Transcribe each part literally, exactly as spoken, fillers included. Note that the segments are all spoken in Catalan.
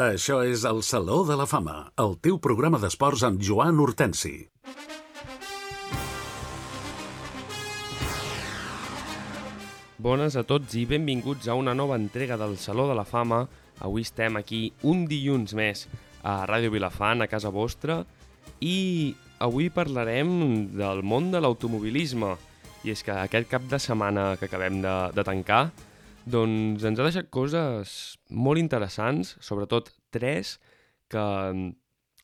Això és el Saló de la Fama, el teu programa d'esports amb Joan Hortensi. Bones a tots i benvinguts a una nova entrega del Saló de la Fama. Avui estem aquí un dilluns més a Ràdio Vilafant, a casa vostra, i avui parlarem del món de l'automobilisme. I és que aquest cap de setmana que acabem de, de tancar doncs ens ha deixat coses molt interessants, sobretot tres que,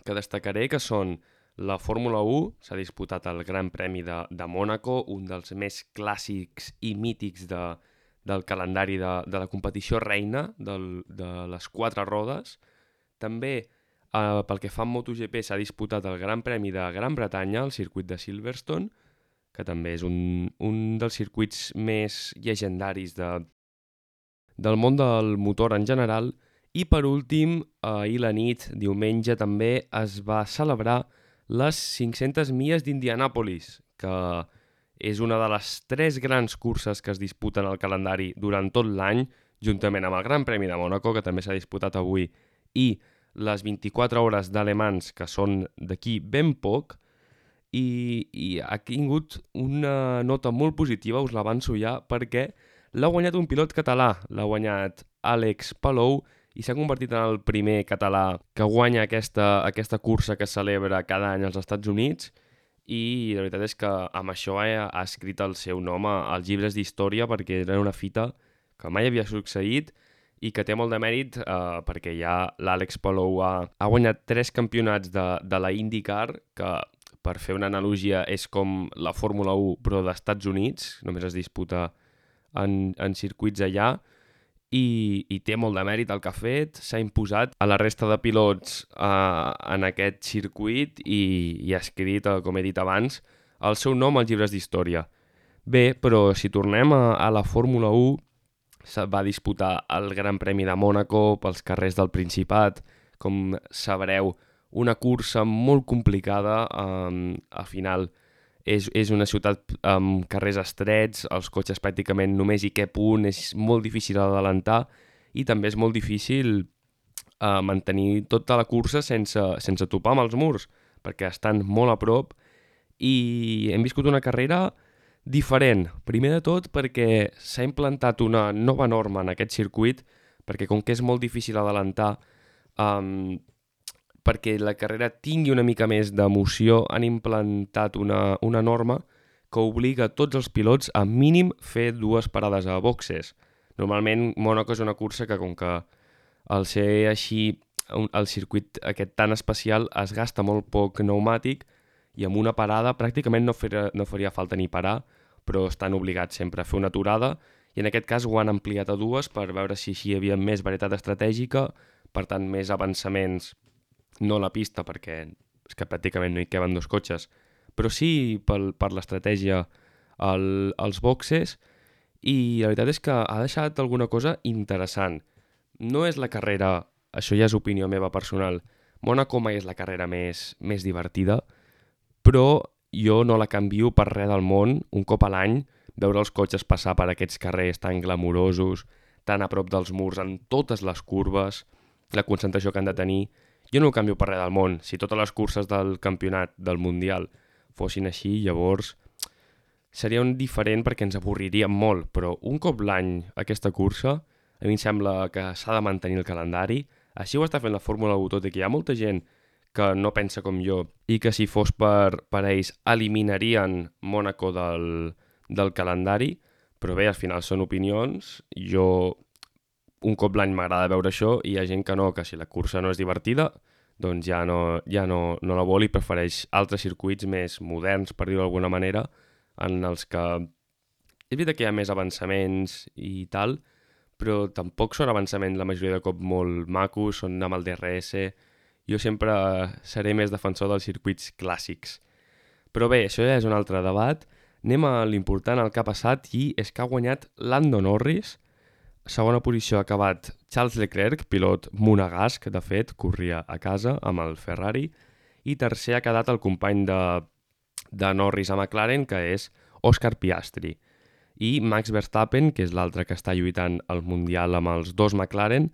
que destacaré, que són la Fórmula u, s'ha disputat el Gran Premi de, de Mònaco, un dels més clàssics i mítics de, del calendari de, de la competició reina del, de les quatre rodes. També, eh, pel que fa a MotoGP, s'ha disputat el Gran Premi de Gran Bretanya, el circuit de Silverstone, que també és un, un dels circuits més llegendaris de, del món del motor en general. I per últim, ahir la nit, diumenge, també es va celebrar les cinc-centes milles d'Indianàpolis, que és una de les tres grans curses que es disputen al calendari durant tot l'any, juntament amb el Gran Premi de Mònaco, que també s'ha disputat avui, i les vint-i-quatre hores d'Alemans, que són d'aquí ben poc, i, i ha tingut una nota molt positiva, us l'avanço ja, perquè l'ha guanyat un pilot català, l'ha guanyat Àlex Palou, i s'ha convertit en el primer català que guanya aquesta, aquesta cursa que es celebra cada any als Estats Units, i la veritat és que amb això ha, ha escrit el seu nom als llibres d'història, perquè era una fita que mai havia succeït i que té molt de mèrit, eh, perquè ja l'Àlex Palou ha, ha guanyat tres campionats de, de la IndyCar, que per fer una analogia és com la Fórmula u però d'Estats Units, només es disputa en, en circuits allà, i, i té molt de mèrit el que ha fet, s'ha imposat a la resta de pilots eh, en aquest circuit i, i ha escrit, eh, com he dit abans, el seu nom als llibres d'història. Bé, però si tornem a, a la Fórmula u, se va disputar el Gran Premi de Mònaco pels carrers del Principat, com sabreu, una cursa molt complicada, eh, al final és, és una ciutat amb carrers estrets, els cotxes pràcticament només hi cap un, és molt difícil adelantar i també és molt difícil eh, mantenir tota la cursa sense, sense topar amb els murs, perquè estan molt a prop i hem viscut una carrera diferent. Primer de tot perquè s'ha implantat una nova norma en aquest circuit, perquè com que és molt difícil adelantar, eh, perquè la carrera tingui una mica més d'emoció, han implantat una, una norma que obliga a tots els pilots a mínim fer dues parades a boxes. Normalment, Mònaco és una cursa que, com que al ser així el circuit aquest tan especial, es gasta molt poc pneumàtic i amb una parada pràcticament no, fer, no faria falta ni parar, però estan obligats sempre a fer una aturada i en aquest cas ho han ampliat a dues per veure si així hi havia més varietat estratègica, per tant més avançaments, no a la pista perquè és que pràcticament no hi caben dos cotxes, però sí pel, per l'estratègia al, als boxes, i la veritat és que ha deixat alguna cosa interessant. No és la carrera, això ja és opinió meva personal, Mònaco mai és la carrera més, més divertida, però jo no la canvio per res del món, un cop a l'any, veure els cotxes passar per aquests carrers tan glamurosos, tan a prop dels murs, en totes les curves, la concentració que han de tenir. Jo no ho canvio per res del món. Si totes les curses del campionat del Mundial fossin així, llavors seria un diferent perquè ens avorriríem molt, però un cop l'any aquesta cursa, a mi em sembla que s'ha de mantenir el calendari. Així ho està fent la Fórmula u, tot i que hi ha molta gent que no pensa com jo i que si fos per, per ells eliminarien Mònaco del, del calendari, però bé, al final són opinions. Jo un cop l'any m'agrada veure això i hi ha gent que no, que si la cursa no és divertida, doncs ja no, ja no, no la vol i prefereix altres circuits més moderns, per dir-ho d'alguna manera, en els que és veritat que hi ha més avançaments i tal, però tampoc són avançaments la majoria de cop molt macos, són amb el D R S. Jo sempre seré més defensor dels circuits clàssics. Però bé, això ja és un altre debat. Anem a l'important, el que ha passat, i és que ha guanyat Lando Norris. Segona posició ha acabat Charles Leclerc, pilot monegasc, de fet, corria a casa amb el Ferrari, i tercer ha quedat el company de, de Norris a McLaren, que és Oscar Piastri. I Max Verstappen, que és l'altre que està lluitant al Mundial amb els dos McLaren,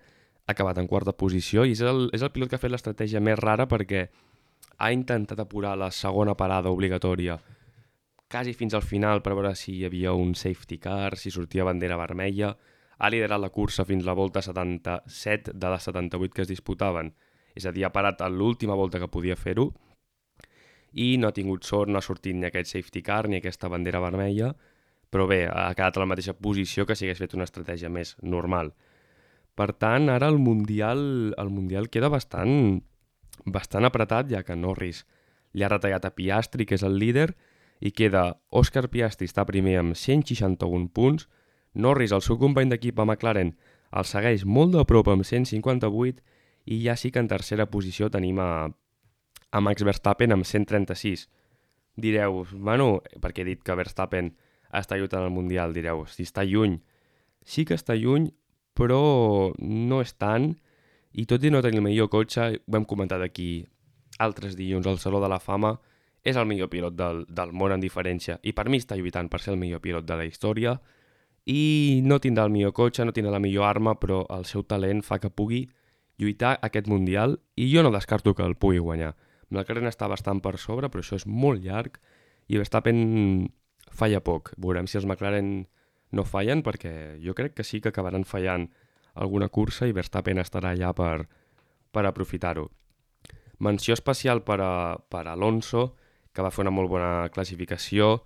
ha acabat en quarta posició i és el, és el pilot que ha fet l'estratègia més rara perquè ha intentat apurar la segona parada obligatòria quasi fins al final per veure si hi havia un safety car, si sortia bandera vermella. Ha liderat la cursa fins la volta setanta-set de les setanta-vuit que es disputaven. És a dir, ha parat a l'última volta que podia fer-ho i no ha tingut sort, no ha sortit ni aquest safety car ni aquesta bandera vermella, però bé, ha quedat a la mateixa posició que si hagués fet una estratègia més normal. Per tant, ara el Mundial, el mundial queda bastant, bastant apretat, ja que Norris li ha retallat a Piastri, que és el líder, i queda Òscar Piastri està primer amb cent seixanta-un punts, Norris, el seu company d'equip a McLaren, el segueix molt de prop amb cent cinquanta-vuit i ja sí que en tercera posició tenim a, a Max Verstappen amb cent trenta-sis. Direu, bueno, perquè he dit que Verstappen està lluitant al Mundial, direu, si està lluny. Sí que està lluny, però no és tant, i tot i no tenir el millor cotxe, ho hem comentat aquí altres dilluns al Saló de la Fama, és el millor pilot del, del món en diferència, i per mi està lluitant per ser el millor pilot de la història, i no tindrà el millor cotxe, no tindrà la millor arma, però el seu talent fa que pugui lluitar aquest Mundial, i jo no descarto que el pugui guanyar. McLaren està bastant per sobre, però això és molt llarg, i Verstappen falla poc. Veurem si els McLaren no fallen, perquè jo crec que sí que acabaran fallant alguna cursa i Verstappen estarà allà per, per aprofitar-ho. Menció especial per a, per a Alonso, que va fer una molt bona classificació.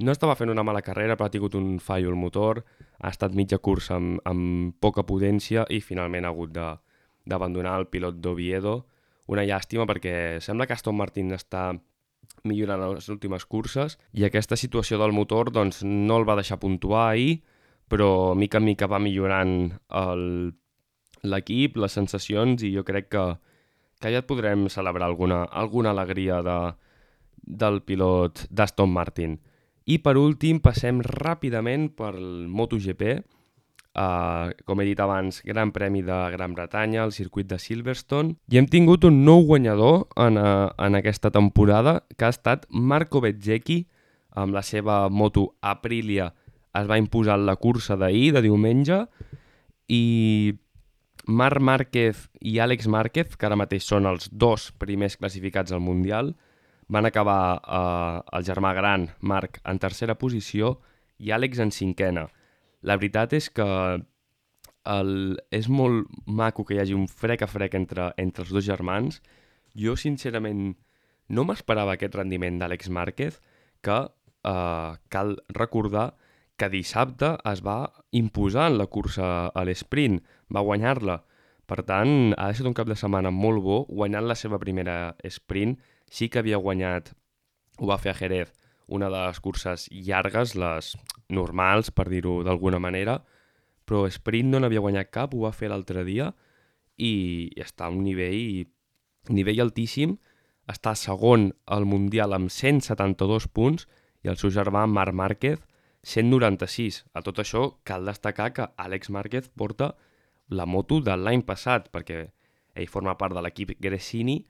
No estava fent una mala carrera, però ha tingut un fallo al motor, ha estat mitja cursa amb, amb poca potència i finalment ha hagut de, d'abandonar el pilot d'Oviedo. Una llàstima perquè sembla que Aston Martin està millorant en les últimes curses i aquesta situació del motor doncs, no el va deixar puntuar ahir, però mica en mica va millorant el, l'equip, les sensacions, i jo crec que, que ja et podrem celebrar alguna, alguna alegria de, del pilot d'Aston Martin. I per últim passem ràpidament pel MotoGP, Uh, com he dit abans, Gran Premi de Gran Bretanya, el circuit de Silverstone, i hem tingut un nou guanyador en, uh, en aquesta temporada, que ha estat Marco Bezzecchi, amb la seva moto Aprilia es va imposar la cursa d'ahir, de diumenge, i Marc Márquez i Àlex Márquez, que ara mateix són els dos primers classificats al Mundial, van acabar uh, el germà gran, Marc, en tercera posició i Àlex en cinquena. La veritat és que el, és molt maco que hi hagi un frec a frec entre, entre els dos germans. Jo, sincerament, no m'esperava aquest rendiment d'Àlex Márquez, que eh, cal recordar que dissabte es va imposar en la cursa a l'esprint, va guanyar-la. Per tant, ha estat un cap de setmana molt bo, guanyant la seva primera sprint. Sí que havia guanyat, ho va fer a Jerez, una de les curses llargues, les normals, per dir-ho d'alguna manera, però sprint no n'havia guanyat cap, ho va fer l'altre dia i està a un nivell, nivell altíssim, està segon al Mundial amb cent setanta-dos punts i el seu germà Marc Márquez cent noranta-sis. A tot això cal destacar que Àlex Márquez porta la moto de l'any passat, perquè ell forma part de l'equip Gresini,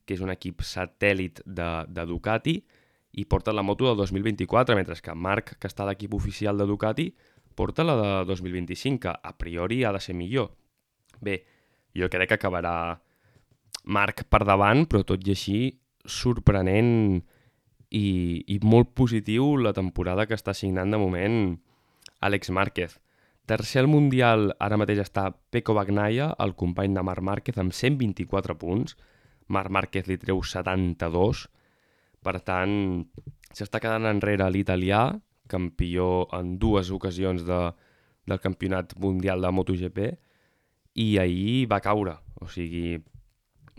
que és un equip satèl·lit de, de Ducati, i porta la moto del dos mil vint-i-quatre, mentre que Marc, que està a l'equip oficial de Ducati, porta la de dos mil vint-i-cinc, que a priori ha de ser millor. Bé, jo crec que acabarà Marc per davant, però tot i així sorprenent i, i molt positiu la temporada que està signant de moment Àlex Márquez. Tercer al Mundial, ara mateix està Pecco Bagnaia, el company de Marc Márquez, amb cent vint-i-quatre punts. Marc Márquez li treu setanta-dos. Per tant, s'està quedant enrere l'italià, campió en dues ocasions de, del campionat mundial de MotoGP, i ahir va caure. O sigui,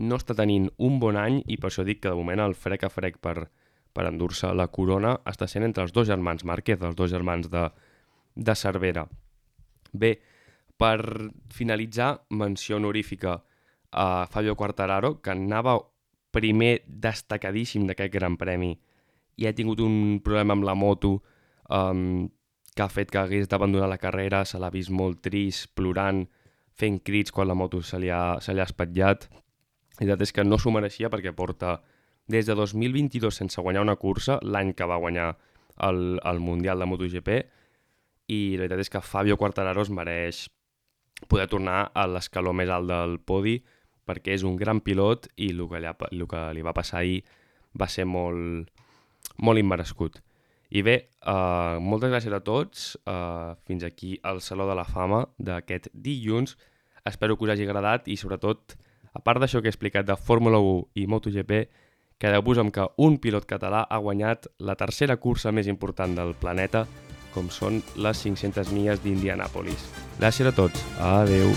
no està tenint un bon any i per això dic que de moment el frec a frec per, per endur-se la corona està sent entre els dos germans Márquez, els dos germans de, de Cervera. Bé, per finalitzar, menció honorífica a Fabio Quartararo, que anava primer destacadíssim d'aquest Gran Premi i ha tingut un problema amb la moto um, que ha fet que hagués d'abandonar la carrera, se l'ha vist molt trist, plorant, fent crits quan la moto se li ha, se li ha espatllat. La veritat és que no s'ho mereixia perquè porta des de dos mil vint-i-dos sense guanyar una cursa, l'any que va guanyar el, el Mundial de MotoGP, i la veritat és que Fabio Quartararo es mereix poder tornar a l'escaló més alt del podi, perquè és un gran pilot i el que, allà, el que li va passar ahir va ser molt, molt immerescut. I bé, uh, moltes gràcies a tots. Uh, fins aquí el Saló de la Fama d'aquest dilluns. Espero que us hagi agradat i, sobretot, a part d'això que he explicat de Fórmula u i MotoGP, quedeu-vos amb que un pilot català ha guanyat la tercera cursa més important del planeta, com són les cinc-centes milles d'Indianàpolis. Gràcies a tots. Adeu.